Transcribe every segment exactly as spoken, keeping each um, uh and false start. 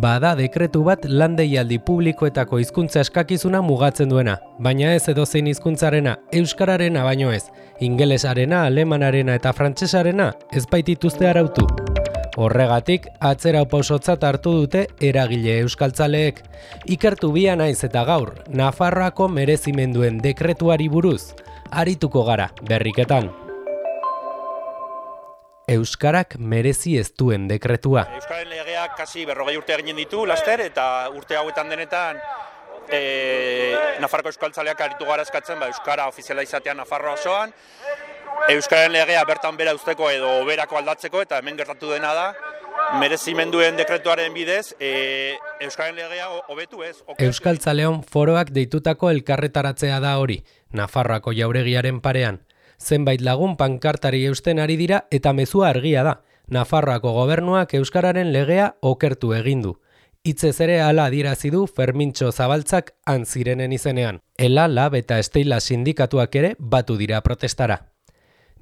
Bada dekretu bat lan deialdi publikoetako hizkuntza eskakizuna mugatzen duena, baina ez edozein hizkuntzarena, euskararena baino ez, ingelesarena, alemanarena eta frantsesarena ez baitituzte arautu. Horregatik, atzera pausotzat hartu dute eragile euskaltzaleek. Ikertu bia naiz eta gaur, Nafarroako merezimenduen dekretuari buruz, arituko gara berriketan. Euskarak merezi ez duen dekretua. Euskararen legeak kasi berrogei urte eginen ditu, laster, eta urte hauetan denetan e, Nafarroko euskaltzaleak aritu gara eskatzen, ba, Euskara ofiziala izatea Nafarroa osoan, Euskararen legea bertan bera uzteko edo berako aldatzeko, eta hemen gertatu dena da, merezimenduen dekretuaren bidez, e, Euskararen legea hobetu ez. Euskaltzaleon foroak deitutako elkarretaratzea da hori, Nafarroako jauregiaren parean. Zenbait lagun pankartari eusten ari dira eta mezua argia da. Nafarroako gobernuak euskararen legea okertu egin du. Hitzez ere hala adierazi du Fermintxo Zabaltzak han zirenen izenean. Ela, Lab eta Esteila sindikatuak ere batu dira protestara.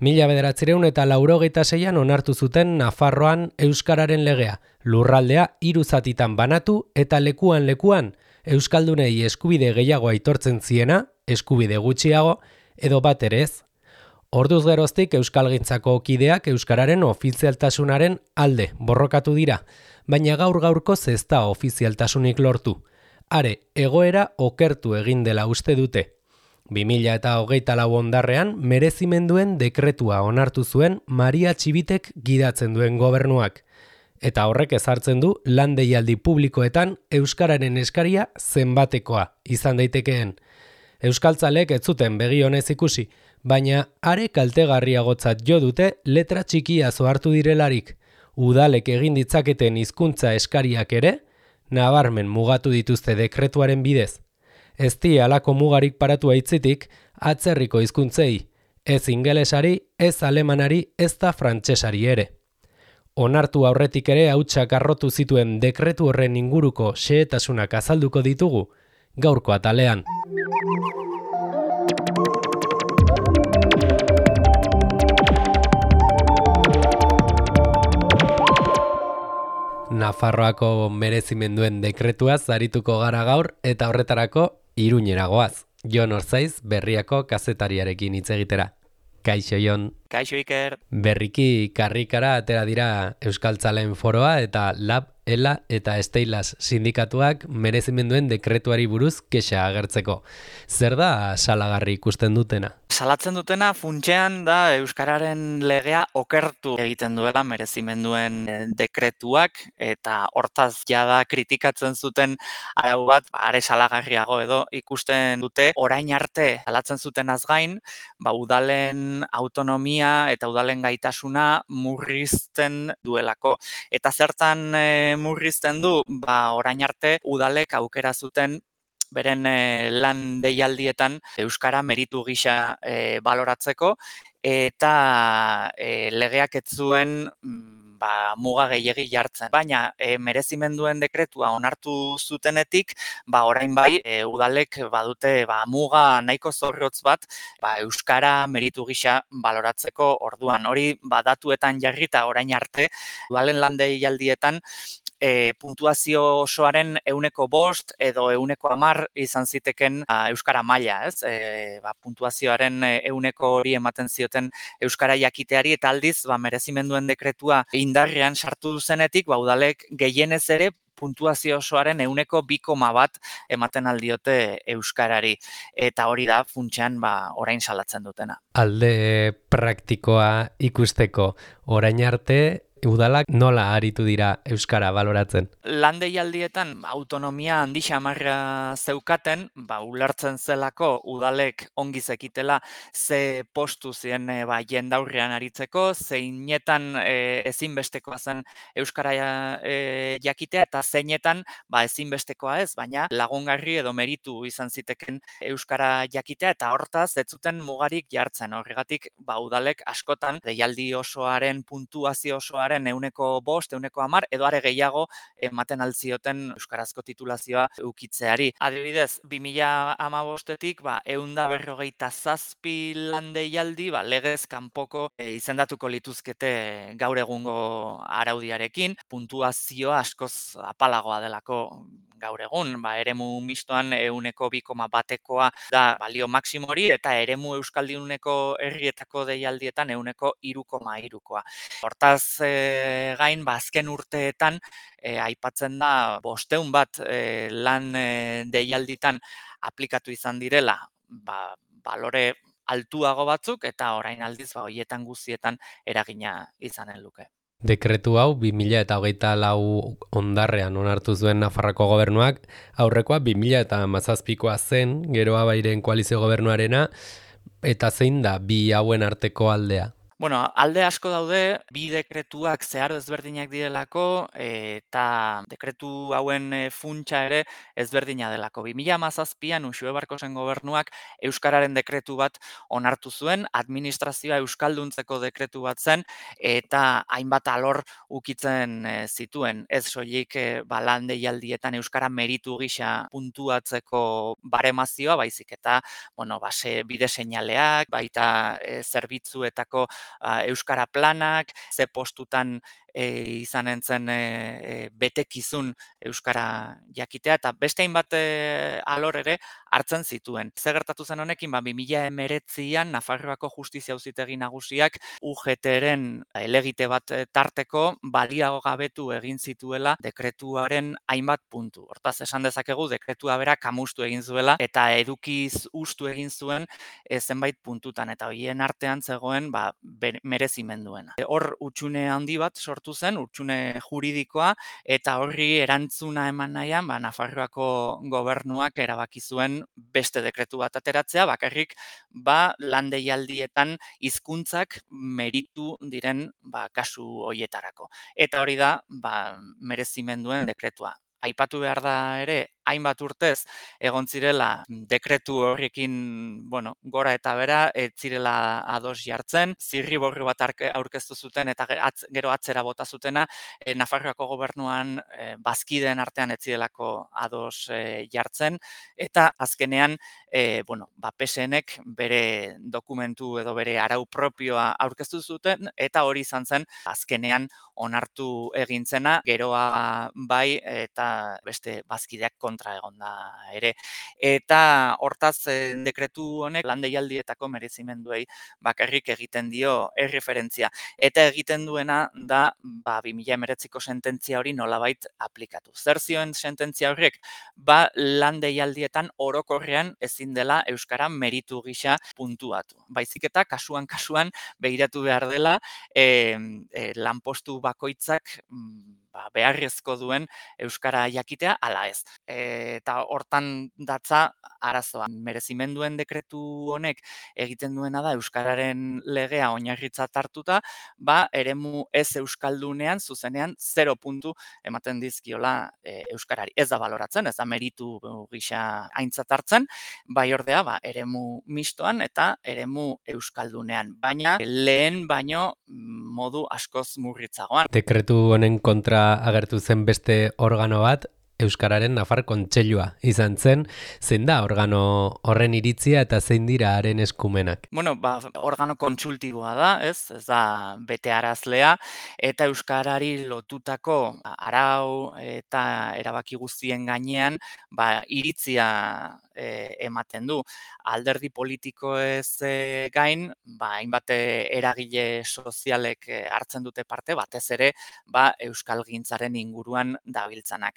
Mila bederatziehun eta laurogeita seian onartu zuten Nafarroan euskararen legea, lurraldea hiru zatitan banatu eta lekuan lekuan euskaldunei eskubide gehiago aitortzen ziena, eskubide gutxiago edo bat ere ez. Orduz geroztik euskalgintzako kideak euskararen ofizialtasunaren alde borrokatu dira, baina gaur gaurkoz ez da ofizialtasunik lortu. Are, egoera okertu egin dela uste dute. bi mila hogeita lau ondarrean merezimenduen dekretua onartu zuen Maria Txibitek gidatzen duen gobernuak. Eta horrek ezartzen du lan deialdi publikoetan euskararen eskaria zenbatekoa izan daitekeen. Euskaltzalek ez zuten begi onez ikusi, baina are kaltegarriagotzat jo dute letra txikia zohartu direlarik. Udalek egin ditzaketen hizkuntza eskariak ere, nabarmen mugatu dituzte dekretuaren bidez. Ez di halako mugarik paratu aitzitik, atzerriko hizkuntzei, ez ingelesari, ez alemanari, ez da frantsesari ere. Onartu aurretik ere hautsak arrotu zituen dekretu horren inguruko xehetasunak azalduko ditugu, gaurko atalean. Nafarroako merezimenduen dekretuaz arituko gara gaur eta horretarako Iruñera goaz. Jon Orzaiz berriako kazetariarekin hitz egitera. Kaixo Jon. Kaixo Iker. Berriki karrikara atera dira euskaltzaleen foroa eta Lab, Ela eta Esteilas sindikatuak merezimenduen dekretuari buruz kexa agertzeko. Zer da salagarri ikusten dutena? Salatzen dutena funtsean da euskararen legea okertu egiten duela merezimenduen dekretuak eta hortaz jada kritikatzen zuten arau bat are salagarriago edo ikusten dute orain arte salatzen zutenaz gain, ba udalen autonomia eta udalen gaitasuna murrizten duelako. Eta zertan e, murrizten du, ba orain arte udalek aukera zuten beren e, lan deialdietan euskara meritu gisa e, baloratzeko eta e, legeak ez zuen ba, muga gehiegi jartzen. Baina e, merezimenduen dekretua onartu zutenetik, ba orain bai e, udalek badute ba, muga nahiko zorrotz bat ba, euskara meritu gisa baloratzeko orduan. Hori badatuetan jarrita orain arte udalen lan deialdietan E, puntuazio osoaren euneko bost edo euneko hamar izan ziteken a, euskara maila, ez? E, ba, puntuazioaren euneko hori ematen zioten euskara jakiteari eta aldiz ba, merezimenduen dekretua indarrean sartu duzenetik, ba, udalek gehienez ere puntuazio osoaren euneko bi koma bat ematen aldiote euskarari. Eta hori da funtsean ba, orain salatzen dutena. Alde praktikoa ikusteko orain arte udalak nola aritu dira euskara baloratzen? Lan deialdietan autonomia handi xamarra zeukaten, ba, ulertzen zelako udalek ongi zekitela ze postu zien e, ba, jendaurrean aritzeko, zeinetan e, ezinbestekoa zen euskara e, jakitea eta zeinetan ba, ezinbestekoa ez, baina lagungarri edo meritu izan ziteken euskara jakitea eta hortaz ez zuten mugarik jartzen. Horregatik ba, udalek askotan deialdi osoaren puntuazio osoaren titulazioaren ehuneko bost, ehuneko hamar, edo are gehiago ematen altzioten euskarazko titulazioa ukitzeari. Adibidez, bi mila hamabostetik ba, ehun eta berrogeita zazpi lan deialdi ba, legez kanpoko e, izendatuko lituzkete gaur egungo araudiarekin, puntuazioa askoz apalagoa delako gaur egun, ba, eremu mistoan ehuneko bi koma batekoa da balio maksimori eta eremu euskalduneko herrietako deialdietan ehuneko hiru koma hirukoa. Hortaz e, gain, ba, azken urteetan e, aipatzen da bosteun bat e, lan e, deialditan aplikatu izan direla, ba, balore altuago batzuk eta orain aldiz ba, hoietan guztietan eragina izanen luke. Dekretu hau bi mila hogeita lau ondarrean onartu zuen Nafarroako gobernuak, aurrekoa bi mila hamazazpikoa zen, Geroa Bairen koalizio gobernuarena, eta zein da bi hauen arteko aldea? Bueno, alde asko daude, bi dekretuak zeharo ezberdinak direlako eta dekretu hauen funtsa ere ezberdina delako. bi mila hamazazpian Uxue Barkosen gobernuak euskararen dekretu bat onartu zuen, administrazioa euskalduntzeko dekretu bat zen eta hainbat alor ukitzen zituen. Ez soilik ba, lan deialdietan euskara meritu gisa puntuatzeko baremazioa, baizik eta bueno, base bide seinaleak, baita e, zerbitzuetako euskara planak, ze postutan e, izanen zen e, e, betekizun euskara jakitea, eta beste hainbat e, alor ere hartzen zituen. Zer gertatu zen honekin, ba, bi mila hemeretzian Nafarroako Justizia Auzitegi Nagusiak U G T-ren helegite bat tarteko baliago gabetu egin zituela dekretuaren hainbat puntu. Hortaz, esan dezakegu dekretua bera kamustu egin zuela eta edukiz ustu egin zuen e, zenbait puntutan, eta horien artean zegoen ba, merezimenduena. Hor hutsune handi bat sortu zen, hutsune juridikoa, eta horri erantzuna eman nahian, ba, Nafarroako gobernuak erabaki zuen beste dekretu bat ateratzea, bakarrik ba, lan deialdietan hizkuntzak meritu diren ba, kasu hoietarako. Eta hori da ba, merezimenduen dekretua. Aipatu behar da ere, hainbat urtez egon zirela dekretu horrekin, bueno, gora eta bera, ez zirela ados jartzen, zirriborri bat aurkeztu zuten eta atz, gero atzera bota zutena, e, Nafarroako gobernuan e, bazkideen artean ez zirelako ados e, jartzen, eta azkenean, e, bueno, ba, P S N-ek bere dokumentu edo bere arau propioa aurkeztu zuten, eta hori izan zen azkenean onartu egintzena, geroa bai eta beste bazkideak kontra egonda ere. Eta hortaz e, dekretu honek lan deialdietako merezimenduei bakarrik egiten dio erreferentzia. Eta egiten duena da ba, bi mila hemeretziko sententzia hori nolabait aplikatu. Zer zioen sententzia horrek? Ba, lan deialdietan orokorrean ezin dela euskara meritu gisa puntuatu. Baizik eta kasuan kasuan begiratu behar dela e, e, lanpostu bakoitzak ba, beharrezko duen euskara jakitea ala ez. E, eta hortan datza arazoa. Merezimenduen dekretu honek egiten duena da euskararen legea oinarritzat hartuta, ba, eremu ez euskaldunean zuzenean zero puntu ematen dizkiola e, euskarari. Ez da baloratzen, ez da meritu gisa aintzat hartzen, bai ordea, ba, eremu mistoan eta eremu euskaldunean. Baina lehen baino modu askoz murritzagoan. Dekretu honen kontra agertu zen beste organo bat, Euskararen Nafar Kontseilua izan zen, zein da organo horren iritzia eta zein dira haren eskumenak? Bueno, ba, organo kontsultiboa da, ez? Ez da betearazlea, eta euskarari lotutako arau eta erabaki guztien gainean, ba, iritzia e, ematen du. Alderdi politiko ez e, gain, ba, hainbat eragile sozialek hartzen dute parte, batez ere, ba, euskalgintzaren inguruan dabiltzanak.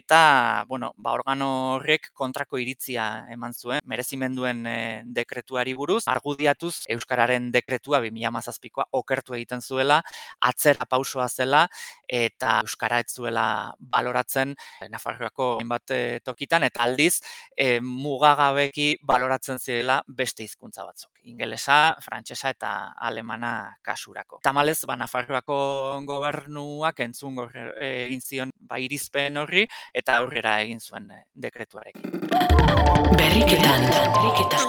Eta, bueno, ba, organo horrek kontrako iritzia eman zuen, merezimenduen e, dekretuari buruz, argudiatuz euskararen dekretua bi mila hamazazpikoa okertu egiten zuela, atzera pausoa zela, eta euskara ez zuela baloratzen Nafarroako hainbat tokitan, eta aldiz e, mugagabeki baloratzen zirela beste hizkuntza batzuk. Ingelesa, frantsesa eta alemana kasurako. Tamalez, ba, Nafarroako gobernuak entzun egin zion ba, irizpen horri, eta aurrera egin zuen dekretuarekin. Berriketan, berriketan.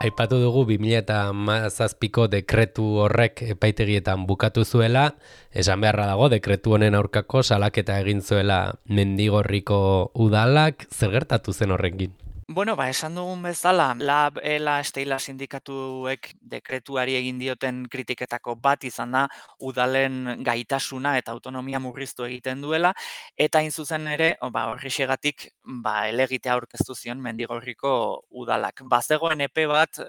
Aipatu dugu bi mila hamazazpiko dekretu horrek epaitegietan bukatu zuela, esan beharra dago dekretu honen aurkako salaketa egin zuela Mendigorriko udalak, zer gertatu zen horrekin? Bueno, ba, esan dugun bezala, Lab, Ela, Esteila sindikatuek dekretuari egin dioten kritiketako bat izan da udalen gaitasuna eta autonomia murriztu egiten duela, eta hain zuzen ere, ba, horrexegatik, ba, helegitea aurkeztu zion Mendigorriko udalak. Bazegoen epe bat,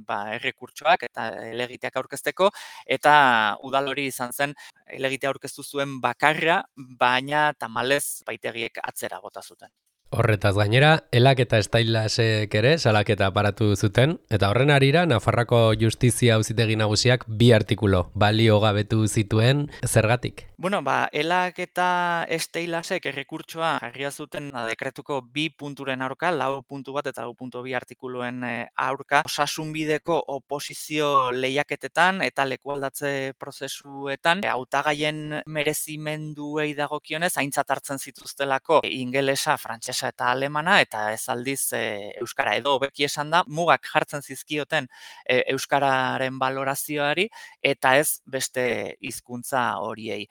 ba, errekurtsoak eta helegiteak aurkezteko, eta udal hori izan zen helegitea aurkeztu zuen bakarra, baina tamalez baitegiek atzera bota zuten. Horretaz gainera, Elak eta Estailasek ere salaketa aparatu zuten, eta horren arira Nafarroako Justizia Auzitegi Nagusiak bi artikulu baliogabetu zituen, zergatik? Bueno, ba, Elak eta Estailasek errekurtsoa jarria zuten dekretuko bi punturen aurka, lau puntu bat eta lau puntu bi artikuluen aurka, osasunbideko oposizio lehiaketetan eta lekualdatze prozesuetan, hautagaien merezimenduei dagokionez aintzat hartzen zituztelako ingelesa, frantsesa eta alemana, eta ez aldiz e, euskara, edo hobeki esan da, mugak jartzen zizkioten e, euskararen balorazioari, eta ez beste hizkuntza horiei.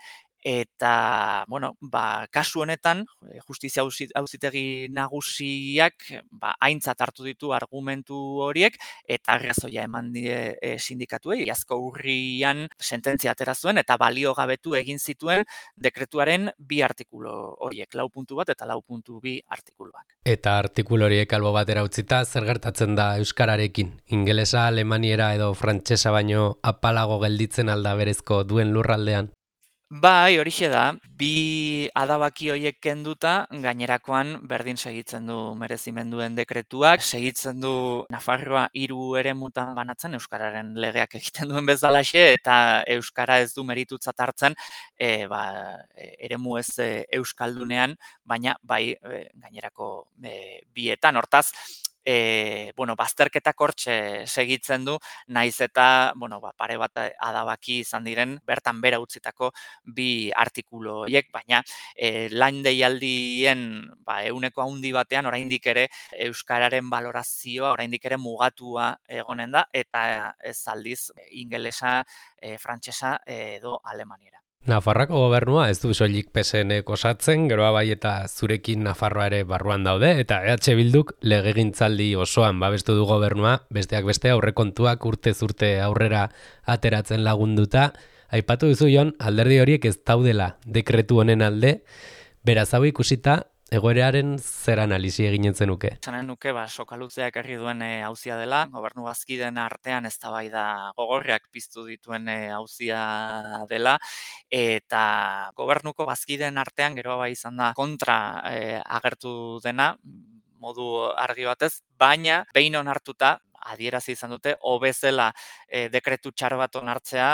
Eta, bueno, ba, kasu honetan, Justizia Auzitegi Nagusiak ba, aintzat hartu ditu argumentu horiek, eta arrazoia eman die e, sindikatuei, iazko urrian sententzia atera zuen, eta baliogabetu egin zituen dekretuaren bi artikulu horiek, lau puntu bat eta lau puntu bi artikuluak. Eta artikulu horiek albo batera utzita, zer gertatzen da euskararekin? Ingelesa, alemaniera edo frantsesa baino apalago gelditzen alda berezko duen lurraldean? Bai, horixe da, bi adabaki horiek kenduta, gainerakoan berdin segitzen du merezimenduen dekretuak, segitzen du Nafarroa hiru eremutan banatzen euskararen legeak egiten duen bezalaxe, eta euskara ez du meritutzat hartzen, e, ba, eremu ez e, euskaldunean, baina bai e, gainerako e, bietan, hortaz, E, bueno, bazterketak hortxe segitzen du, naiz eta, bueno, ba, pare bat adabaki izan diren, bertan bera utzitako bi artikulu horiek, baina e, lan deialdien ba, euneko handi batean oraindik ere euskararen balorazioa oraindik ere mugatua egonen da, eta ez aldiz ingelesa, e, frantsesa edo alemaniera. Nafarroako gobernua ez du soilik P S N osatzen, geroa bai eta zurekin Nafarroa ere barruan daude, eta E H Bilduk legegintzaldi osoan babestu du gobernua, besteak beste aurrekontuak urtez urte aurrera ateratzen lagunduta. Aipatu duzu Jon, alderdi horiek ez daudela dekretu honen alde, beraz hau ikusita, egoeraren zer analisi eginen zenuke? Zanen nuke, ba, sokalutzeak herri duen hauzia dela, gobernu bazkideen artean eztabaida gogorreak piztu dituen hauzia dela, eta gobernuko bazkideen artean gero bai izan da kontra e, agertu dena, modu argi batez, baina behin onartuta, adierazi izan dute, hobezela e, dekretu txar bat onartzea,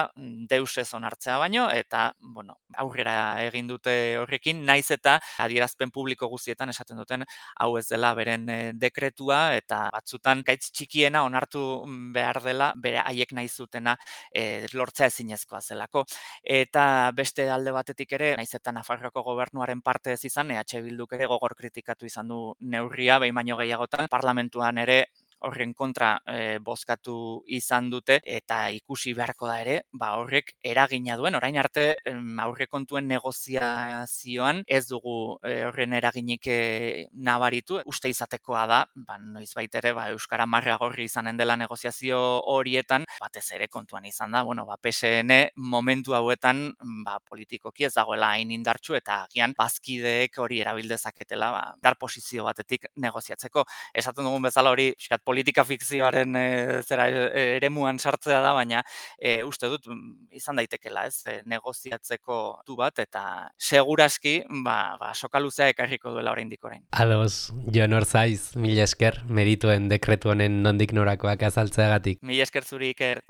deus ez onartzea baino, eta bueno, aurrera egin dute horrekin, naiz eta adierazpen publiko guztietan esaten duten hau ez dela beren e, dekretua, eta batzutan gaitz txikiena onartu behar dela, bere haiek nahi zutena e, lortzea ezinezkoa zelako. Eta beste alde batetik ere, naiz eta Nafarroako gobernuaren parte ez izan, E H Bilduk ere gogor kritikatu izan du neurria, behin baino gehiagotan, parlamentuan ere horren kontra e, bozkatu izan dute, eta ikusi beharko da ere, ba horrek eragina duen, orain arte em, aurrekontuen negoziazioan ez dugu e, horren eraginik e, nabaritu, uste izatekoa da, ba, noizbait ere ba, euskara marra gorri izanen dela negoziazio horietan, batez ere kontuan izan da, bueno, ba, P S N momentu hauetan ba, politikoki ez dagoela hain indartsu, eta agian bazkideek hori erabildezaketela, ba, dar posizio batetik negoziatzeko. Esaten dugun bezala hori, xkat, politika fikzioaren e, zera e, eremuan sartzea da, baina e, uste dut izan daitekela, ez, e, negoziatzeko du bat, eta seguraski, ba, ba sokaluzea ekarriko duela oraindik orain. Ados, Jon Orzaiz, mila esker, merituen dekretu honen nondik norakoak azaltzeagatik. Mila esker zuri, Iker.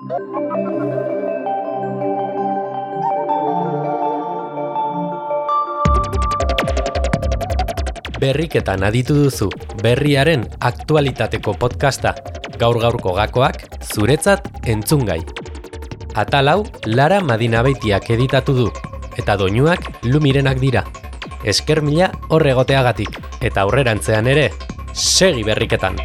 Berriketan aditu duzu, berriaren aktualitateko podcasta, gaur-gaurko gakoak, zuretzat entzungai. Atal hau, Lara Madinabeitiak editatu du, eta doinuak Lumirenak dira. Esker mila hor egoteagatik, eta aurrerantzean ere, segi berriketan!